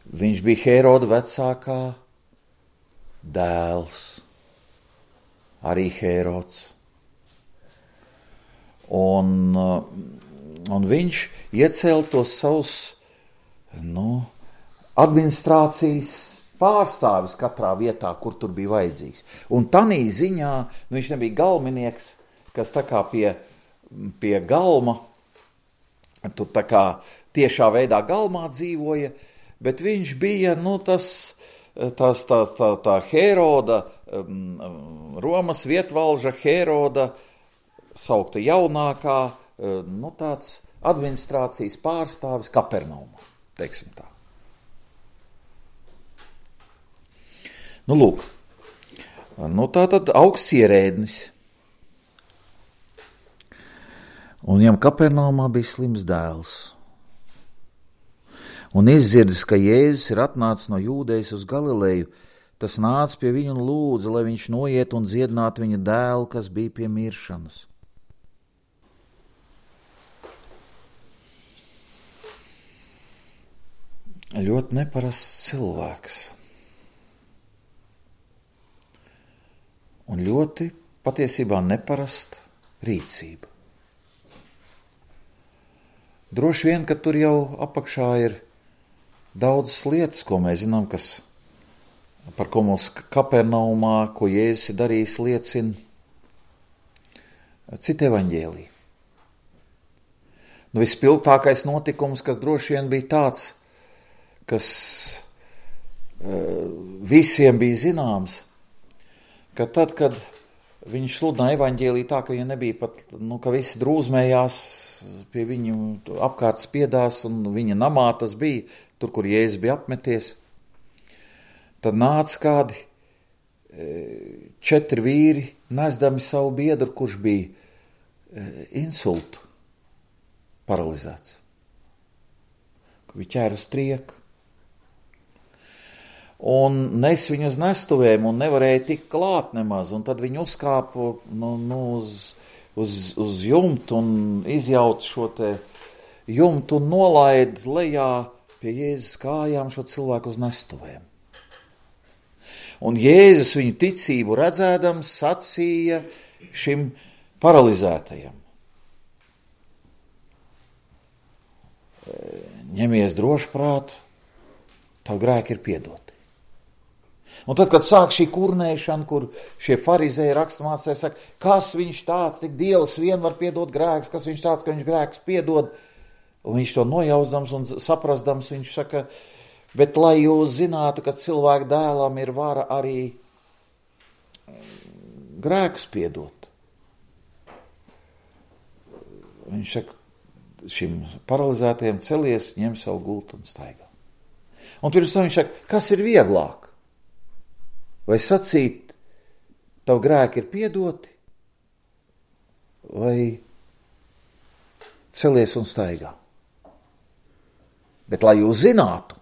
Viņš bija Hēroda vecākā dēls. Arī Hērods. Un viņš iecēla tos savus administrācijas pārstāvis katrā vietā, kur tur bija vajadzīgs. Un tanī ziņā viņš nebija galminieks, kas tā kā pie galma, tur tā kā tiešā veidā galmā dzīvoja, bet viņš bija tā Hēroda, Romas vietvalža Hēroda, saukta jaunākā, tāds administrācijas pārstāvis Kapernaumā, teiksim tā. Lūk, tā tad augsts ierēdnis. Un viņam Kapernaumā bija slims dēls. Un izdzirdis, ka Jēzus ir atnācis no Jūdejas uz Galileju, tas nāca pie viņa un lūdza, lai viņš noiet un dziedinātu viņa dēlu, kas bija pie miršanas. Ļoti neparasts cilvēks. Un ļoti patiesībā neparasta rīcība. Droši vien, ka tur jau apakšā ir daudzas lietas, ko mēs zinām, par ko mums Kapernaumā, ko Jēzus ir darījis, liecina citi evaņģēliji. Vispilgtākais notikums, kas droši vien bija tāds, kas visiem bija zināms, ka tad, kad viņš sludināja evaņģēliju tā, ka viņa nebija pat, ka visi drūzmējās pie viņu apkārt spiedās, un viņa namā tas bija, tur, kur Jēzus bija apmeties. Tad nāca kādi 4 vīri, nesdami savu biedru, kurš bija insultu paralizēts. Kur bija ķēra uz trieku. Un nes viņu uz nestuvēm un nevarēja tikt klāt nemaz. Un tad viņi uzkāpa uz jumtu un izjauta šo te jumtu un nolaida lejā pie Jēzus kājām šo cilvēku uz nestuvēm. Un Jēzus viņu ticību redzēdams sacīja šim paralizētajam: ņemies droši prātu, tavu grēki ir piedoti. Un tad, kad sāk šī kurnēšana, kur šie farizēji raksturmācēji saka, kas viņš tāds, tik Dievs vien var piedot grēkus, kas viņš tāds, ka viņš grēkus piedod, un viņš to nojausdams un saprasdams, viņš saka, bet lai jūs zinātu, ka cilvēku dēlam ir vara arī grēkus piedot. Viņš saka, šim paralizētajam celies, ņem savu gultu un staigā. Un pirms tam viņš saka, kas ir vieglāk? Vai sacīt, tavu grēki ir piedoti, vai celies un staigā? Bet lai jūs zinātu,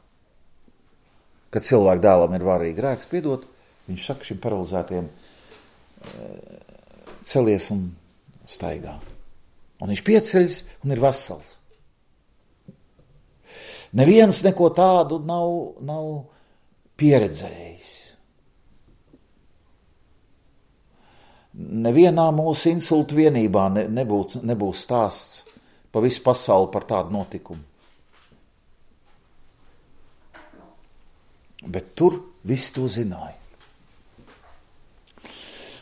ka cilvēku dēlam ir vara arī grēks piedot, viņš saka šim paralizētajam, celies un staigā. Un viņš pieceļas un ir vesels. Neviens neko tādu nav pieredzējis. Nevienā mūsu insultu vienībā nebūs stāsts pa visu pasauli par tādu notikumu. Bet tur viss to zināja.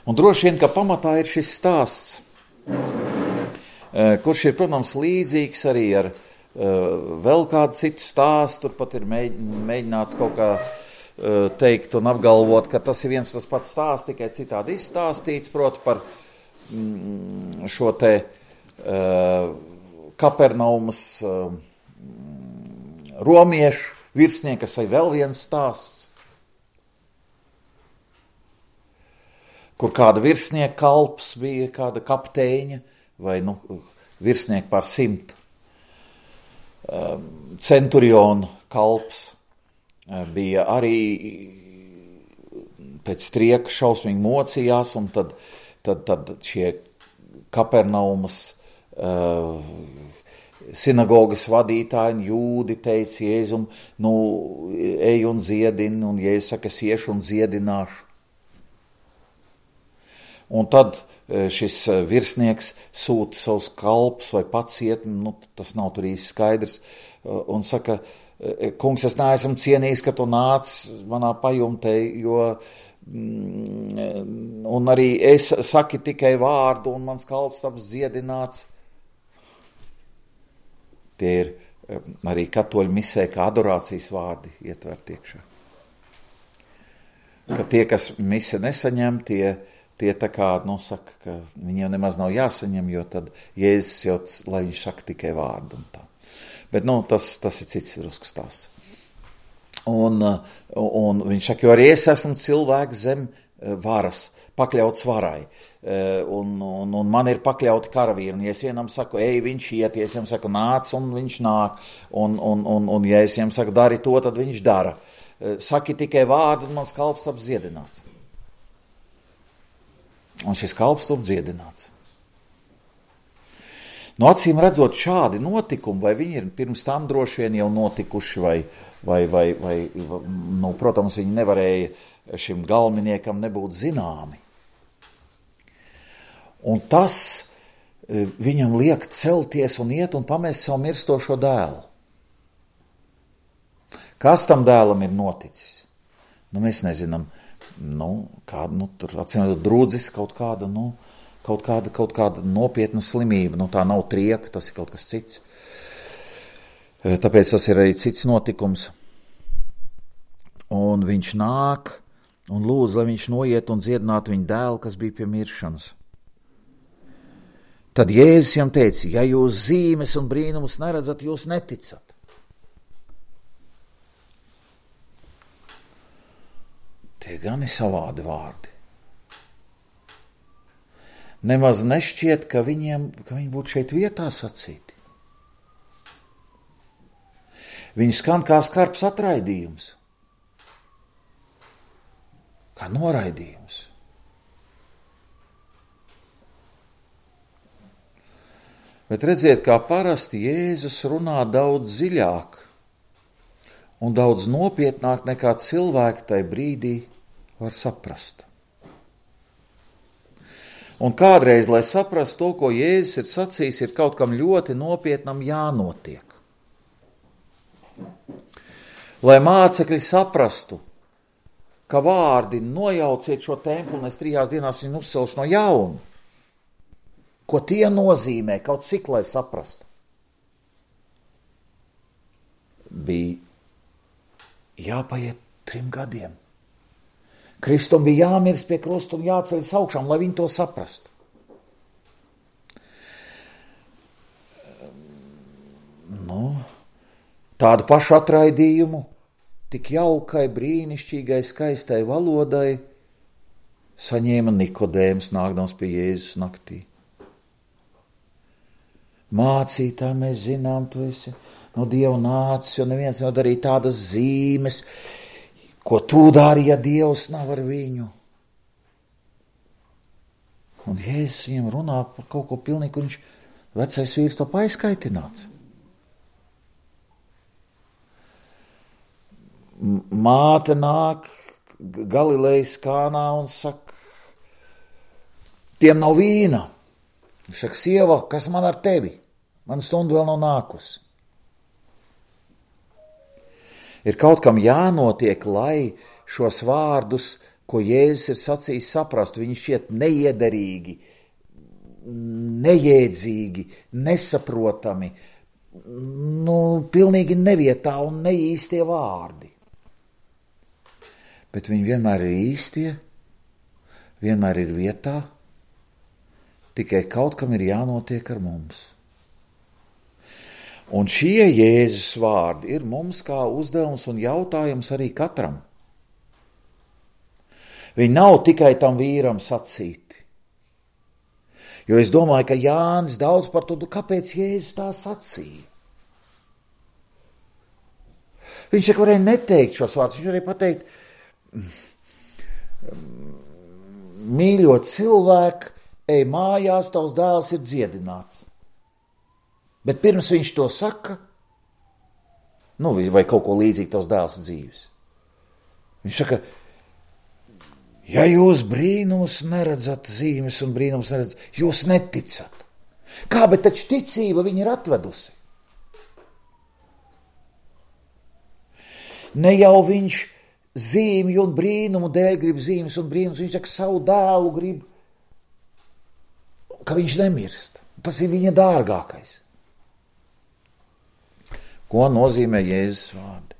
Un droši vien, ka pamatā ir šis stāsts, kurš ir, protams, līdzīgs arī ar vēl kādu citu stāstu. Tur pat ir mēģināts kaut kā teikt un apgalvot, ka tas ir viens tas pats stāsts, tikai citādi izstāstīts, proti par šo te Kapernaumas romiešu virsnieku, kas ir vēl viens stāsts, kur kāda virsnieka kalps bija, kāda kapteiņa vai virsnieka pār 100, centurionu kalps. Bija arī pēc trieka šausmīgi mocījās, un tad šie Kapernaumas sinagogas vadītāji, jūdi teica Jēzum, ej un dziedini, un Jēzus saka, es iešu un dziedināšu. Un tad šis virsnieks sūta savus kalpus vai pats iet, tas nav tur īsti skaidrs, un saka, kungs, es neesmu cienījis, ka tu nāc manā pajumtē, un arī es saki tikai vārdu, un mans kalps taps dziedināts. Tie ir arī katoļu misē, kā adorācijas vārdi ietverti iekšā. Ka tie, kas mise nesaņem, tie tā kā, saka, ka viņiem nemaz nav jāsaņem, jo tad Jēzus jau, lai viņš saka tikai vārdu un tā. Bet, tas ir cits drusku stāsts. Un viņš saka, jo arī es esmu cilvēks zem varas, pakļauts varai. Un man ir pakļauti karavīri. Un ja es vienam saku, ej, viņš iet, ja es viņam saku, nāc, un viņš nāk. Un ja es viņam saku, dari to, tad viņš dara. Saki tikai vārdu, un mans kalps taps dziedināts. Un šis kalps taps dziedināts. Acīm redzot šādi notikumi, vai viņi ir pirms tam droši vien jau notikuši, vai protams, viņi nevarēja šim galveniekam nebūt zināmi. Un tas viņam liek celties un iet un pamest savu mirstošo dēlu. Kas tam dēlam ir noticis? Mēs nezinām, tur acīm redzot drudzis kaut kāda, kaut kāda nopietna slimība, tā nav trieka, tas ir kaut kas cits. Tāpēc tas ir arī cits notikums. Un viņš nāk un lūdz, lai viņš noiet un dziedinātu viņa dēlu, kas bija pie miršanas. Tad Jēzus viņam teica, ja jūs zīmes un brīnumus neredzat, jūs neticat. Tie gan ir savādi vārdi. Nemaz nešķiet, ka viņi būtu šeit vietā sacīti. Viņi skan kā skarbs atraidījums, kā noraidījums. Bet redziet, kā parasti Jēzus runā daudz dziļāk un daudz nopietnāk nekā cilvēki tai brīdī var saprast. Un kādreiz, lai saprastu to, ko Jēzus ir sacījis, ir kaut kam ļoti nopietnam jānotiek. Lai mācekļi saprastu, ka vārdi nojauciet šo templi un es 3 dienās viņu uzcelšu no jauna, ko tie nozīmē, kaut cik, lai saprastu. Bija jāpaiet 3 gadiem. Kristum bija jāmirst pie krusta un jāceļas augšām, lai viņi to saprastu. Tādu pašu atraidījumu, tik jaukai, brīnišķīgai, skaistai valodai saņēma Nikodēms, nākdams pie Jēzus naktī. Mācītāji, mēs zinām, tu esi no Dieva nācis, jo neviens nav darīt tādas zīmes, ko tu dari, ja Dievs nav ar viņu. Un Jēzus viņam runā par kaut ko pilnīgi, un viņš vecais vīrs to aizskaitināts. Māte nāk Galilejas Kānā un saka, tiem nav vīna. Viņš saka, sieva, kas man ar tevi? Man stunda vēl nav nākusi. Ir kaut kam jānotiek, lai šos vārdus, ko Jēzus ir sacījis, saprastu. Viņi šķiet neiederīgi, nejēdzīgi, nesaprotami, pilnīgi nevietā un neīstie vārdi. Bet viņi vienmēr ir īstie, vienmēr ir vietā, tikai kaut kam ir jānotiek ar mums. Un šie Jēzus vārdi ir mums kā uzdevums un jautājums arī katram. Viņi nav tikai tam vīram sacīti. Jo es domāju, ka Jānis daudz par to, kāpēc Jēzus tā sacīja. Viņš jau varēja neteikt šos vārdus, viņš varēja pateikt, mīļo cilvēku, ej mājās, tavs dēls ir dziedināts. Bet pirms viņš to saka, vai kaut ko līdzīgi tavs dēls ir dzīves. Viņš saka, ja jūs brīnumus neredzat, zīmes un brīnumus neredzat, jūs neticat. Kā, bet taču ticība viņa ir atvedusi. Ne jau viņš zīmju un brīnumu dēļ grib zīmes un brīnumus, viņš saka, savu dēlu grib, ka viņš nemirst. Tas ir viņa dārgākais. Ko nozīmē Jēzus vārdi?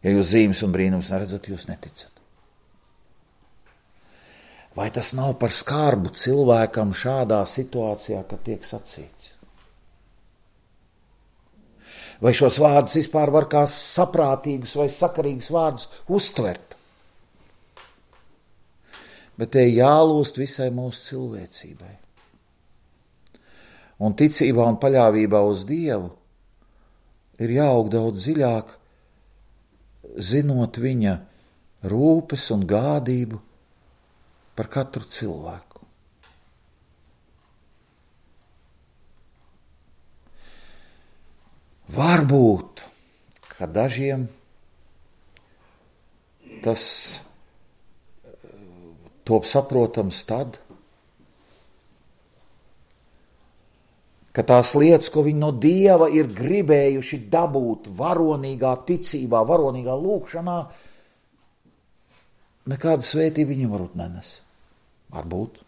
Ja jūs zīmes un brīnumus neredzat, jūs neticat. Vai tas nav par skarbu cilvēkam šādā situācijā, kad tiek sacīts? Vai šos vārdus vispār var kā saprātīgus vai sakarīgus vārdus uztvert? Bet te jālūst visai mūsu cilvēcībai. Un ticībā un paļāvībā uz Dievu ir jāaug daudz dziļāk, zinot viņa rūpes un gādību par katru cilvēku. Varbūt, ka dažiem tas top saprotams tad, ka tās lietas, ko viņi no Dieva ir gribējuši dabūt varonīgā ticībā, varonīgā lūkšanā, nekāda svētība viņam varbūt nenes. Varbūt.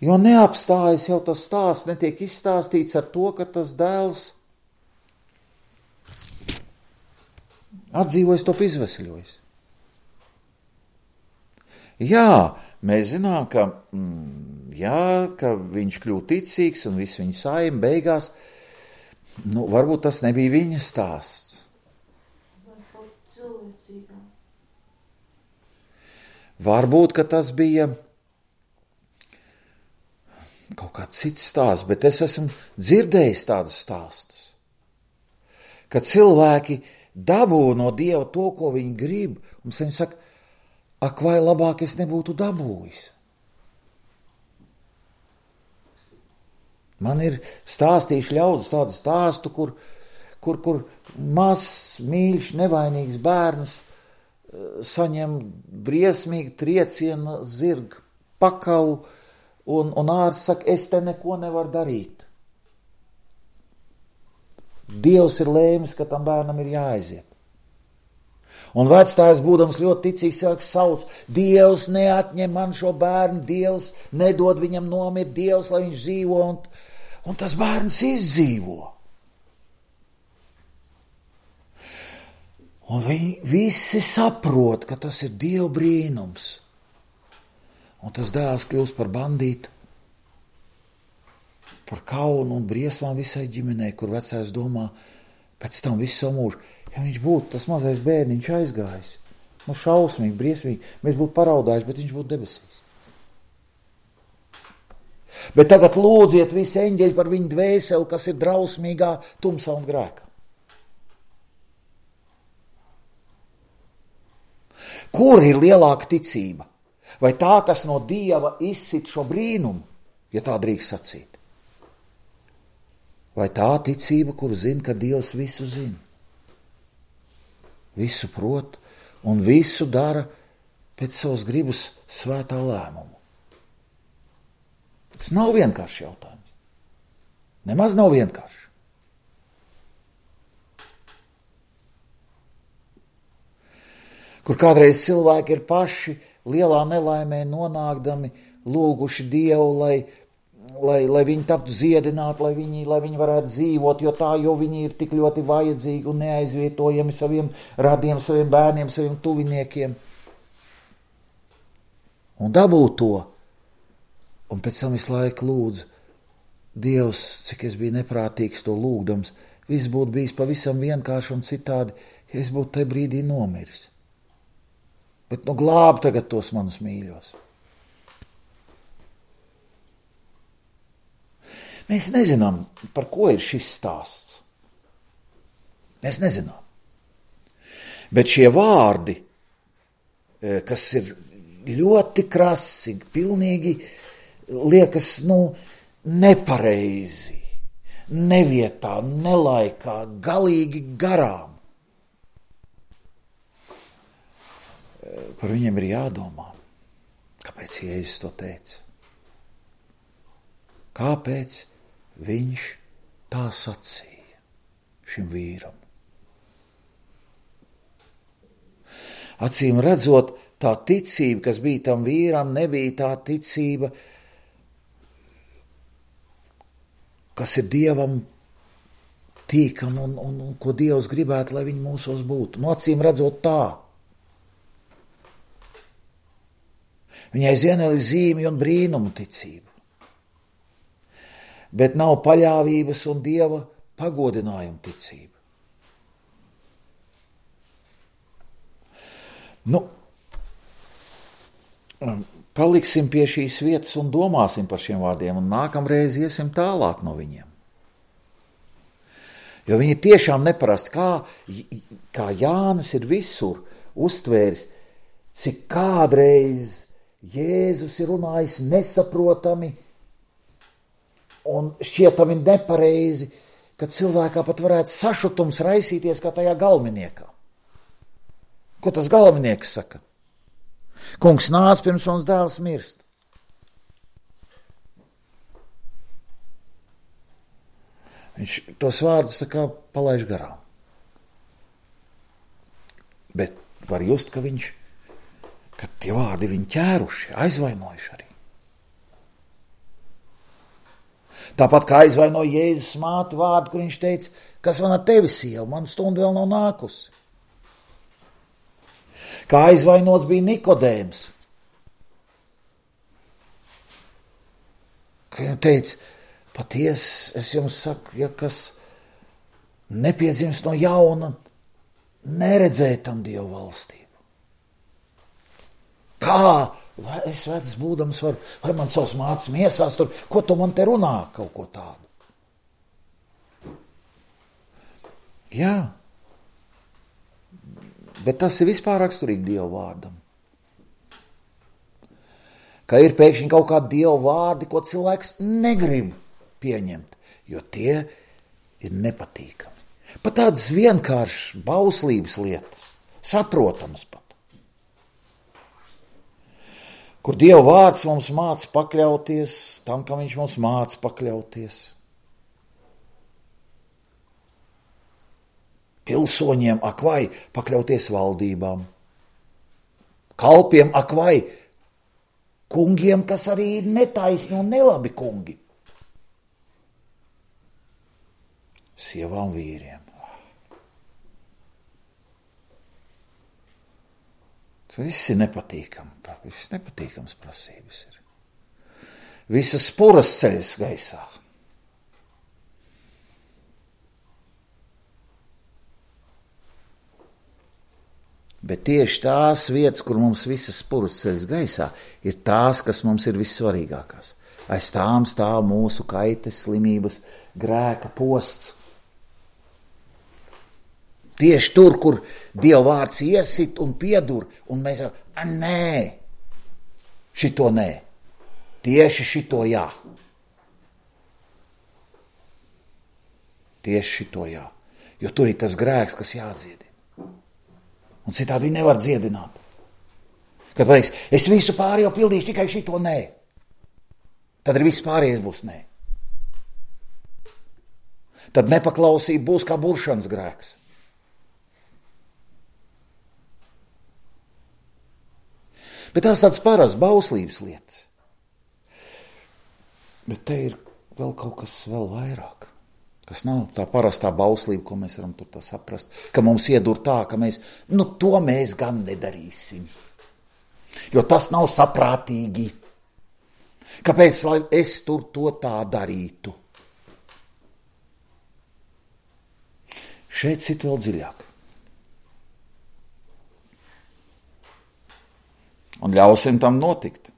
Jo neapstājas jau tas stāsts, netiek izstāstīts ar to, ka tas dēls atdzīvojis, top izvesļojis. Jā, mēs zinām, ka, ka viņš kļūst ticīgs un viss viņa saima beigās, varbūt tas nebija viņa stāsts. Varbūt, ka tas bija kaut kāds cits stāsts, bet es esmu dzirdējis tādus stāstus, ka cilvēki dabū no Dieva to, ko viņi grib, un viņi saka, ak, vai labāk es nebūtu dabūjis. Man ir stāstījuši ļaudis tādu stāstu, kur mazs, mīļš, nevainīgs bērns saņem briesmīgu triecienu zirga pakavu, un ārsts saka, es te neko nevaru darīt. Dievs ir lēmis, ka tam bērnam ir jāaiziet. Un vectājs, būdams ļoti ticīgs, cilvēks sauc, Dievs neatņem man šo bērnu, Dievs nedod viņam nomirt, Dievs, lai viņš dzīvo, un tas bērns izdzīvo. Un viņi visi saprot, ka tas ir Dieva brīnums. Un tas dēls kļūst par bandītu, par kaunu un briesmām visai ģimenei, kur vecais domā, pēc tam visu savu mūžu, ja viņš būtu tas mazais bērniņš aizgājis, šausmīgi, briesmīgi, mēs būtu paraudājuši, bet viņš būtu debesīs. Bet tagad lūdziet visi eņģeļi par viņu dvēseli, kas ir drausmīgā tumsā un grēkā. Kur ir lielāka ticība? Vai tā, kas no Dieva izsit šo brīnumu, ja tā drīkst sacīt? Vai tā ticība, kuru zina, ka Dievs visu zina? Visu prot un visu dara pēc savas gribas svētā lēmumu. Tas nav vienkārši jautājums. Nemaz nav vienkārši. Kur kādreiz cilvēki ir paši lielā nelaimē nonākdami lūguši Dievu, lai viņi taptu ziedināti, lai viņi varētu dzīvot, jo viņi ir tik ļoti vajadzīgi un neaizvietojami saviem radiem, saviem bērniem, saviem tuviniekiem. Un dabūt to, un pēc tam visu laiku lūdzu, Dievs, cik es biju neprātīgs to lūgdams, viss būtu bijis pavisam vienkārši un citādi, ja es būtu tajā brīdī nomiris. Bet glāb tagad tos manus mīļos. Mēs nezinām, par ko ir šis stāsts. Mēs nezinām. Bet šie vārdi, kas ir ļoti krasi, pilnīgi liekas, nepareizi, nevietā, nelaikā, galīgi garām. Par viņiem ir jādomā, kāpēc Jēzus to teica. Kāpēc viņš tā sacīja šim vīram? Acīm redzot, tā ticība, kas bija tam vīram, nebija tā ticība, kas ir Dievam tīkama un ko Dievs gribētu, lai viņi mūsos būtu. Acīm redzot tā. Viņai ir zīmju un brīnumu ticību. Bet nav paļāvības un Dieva pagodinājuma ticība. Paliksim pie šīs vietas un domāsim par šiem vārdiem, un nākamreiz iesim tālāk no viņiem. Jo viņi tiešām neparasti, kā Jānis ir visur uztvēris, cik kādreiz Jēzus ir runājis nesaprotami un šķietami nepareizi, ka cilvēkā pat varētu sašutums raisīties kā tajā galveniekā. Ko tas galvenieks saka? Kungs nāc, pirms mans dēls mirst. Viņš tos vārdus tā kā palaiž garām. Bet var just, ka tie vārdi viņu ķēruši, aizvainojuši arī. Tāpat kā aizvainoja Jēzus māti vārdu, kur viņš teica, kas man ar tevi sieva, man stunda vēl nav nākusi. Kā aizvainots bija Nikodēms, ka viņa teica, patiesi, es jums saku, ja kas nepiedzims no jauna, neredzēja tam Dievu valstību. Kā? Vai es vecs būdams varu, vai man savs mācis miesās tur, ko tu man te runā, kaut ko tādu? Jā, bet tas ir vispār raksturīgi Dieva vārdam. Ka ir pēkšņi kaut kādi Dieva vārdi, ko cilvēks negrib pieņemt, jo tie ir nepatīkami. Pat tādas vienkāršas bauslības lietas, saprotamas pat. Kur Dieva vārds mums māca pakļauties tam, kam viņš mums māca pakļauties. Pilsoņiem ak vai pakļauties valdībām. Kalpiem ak vai kungiem, kas arī ir netaisni un nelabi kungi. Sievām vīriem. Tas viss ir nepatīkams. Viss nepatīkams prasības ir. Visas spuras ceļas gaisā. Bet tieši tās vietas, kur mums visas spuras ceļas gaisā, ir tās, kas mums ir vissvarīgākās. Aiz tām stāv mūsu kaites, slimības, grēka posts. Tieši tur, kur Dieva vārds iesit un piedur, un mēs sakām, nē, šito nē, tieši šito jā. Tieši šito jā, jo tur ir tas grēks, kas jādziedina. Un citādi viņi nevar dziedināt. Kad pateiks, es visu pārējo pildīšu, tikai šito nē, tad arī viss pārējais būs nē. Tad nepaklausība būs kā buršanas grēks. Bet tās tāds parasts bauslības lietas. Bet te ir vēl kaut kas vēl vairāk. Tas nav tā parastā bauslība, ko mēs varam tur tā saprast. Ka mums iedur tā, ka mēs, to mēs gan nedarīsim. Jo tas nav saprātīgi. Kāpēc, lai es tur to tā darītu? Šeit sit vēl dziļāk. Un ļausim tam notikt.